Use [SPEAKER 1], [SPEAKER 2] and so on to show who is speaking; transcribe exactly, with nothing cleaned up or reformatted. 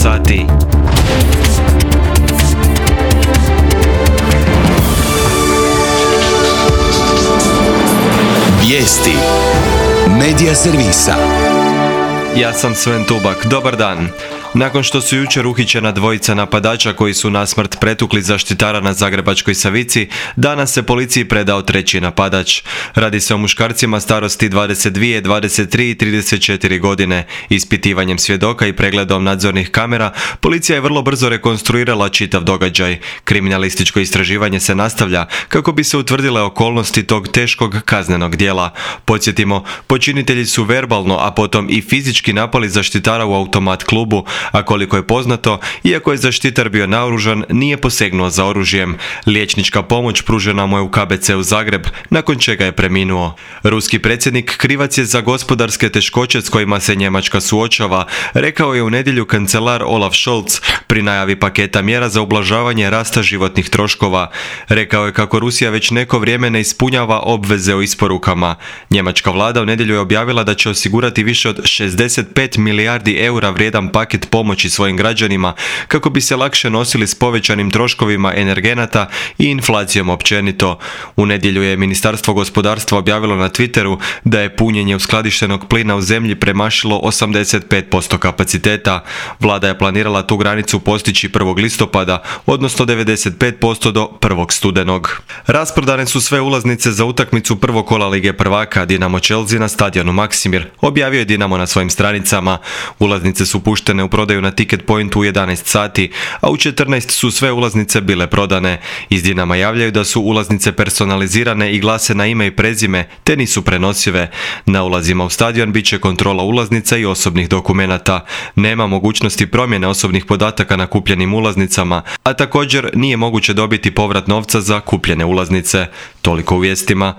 [SPEAKER 1] sati.
[SPEAKER 2] Vijesti Medija servisa.
[SPEAKER 1] Ja sam Sven Tubak. Dobar dan. Nakon što su jučer uhićena dvojica napadača koji su nasmrt pretukli zaštitara na Zagrebačkoj Savici, danas se policiji predao treći napadač. Radi se o muškarcima starosti dvadeset dvije, dvadeset tri i trideset četiri godine. Ispitivanjem svjedoka i pregledom nadzornih kamera, policija je vrlo brzo rekonstruirala čitav događaj. Kriminalističko istraživanje se nastavlja kako bi se utvrdile okolnosti tog teškog kaznenog djela. Podsjetimo, počinitelji su verbalno, a potom i fizički napali zaštitara u automat klubu, a koliko je poznato, iako je zaštitar bio naoružan, nije posegnuo za oružjem. Liječnička pomoć pružena mu je u K B C u Zagreb, nakon čega je preminuo. Ruski predsjednik krivac je za gospodarske teškoće s kojima se Njemačka suočava, rekao je u nedjelju kancelar Olaf Scholz pri najavi paketa mjera za ublažavanje rasta životnih troškova. Rekao je kako Rusija već neko vrijeme ne ispunjava obveze o isporukama. Njemačka vlada u nedjelju je objavila da će osigurati više od šezdeset pet milijardi eura vrijedan paket pomoći svojim građanima kako bi se lakše nosili s povećanim troškovima energenata i inflacijom općenito. U nedjelju je Ministarstvo gospodarstva objavilo na Twitteru da je punjenje uskladištenog plina u zemlji premašilo osamdeset pet posto kapaciteta. Vlada je planirala tu granicu postići prvog listopada, odnosno devedeset pet posto do prvog studenog. Rasprodane su sve ulaznice za utakmicu prvog kola Lige prvaka Dinamo Chelsea na stadionu Maksimir, objavio je Dinamo na svojim stranicama. Ulaznice su puštene u prodaju na Ticket Pointu u jedanaest sati, a u četrnaest su sve ulaznice bile prodane. Iz Dinama javljaju da su ulaznice personalizirane i glase na ime i prezime, te nisu prenosive. Na ulazima u stadion bit će kontrola ulaznica i osobnih dokumenata. Nema mogućnosti promjene osobnih podataka na kupljenim ulaznicama, a također nije moguće dobiti povrat novca za kupljene ulaznice. Toliko u vijestima.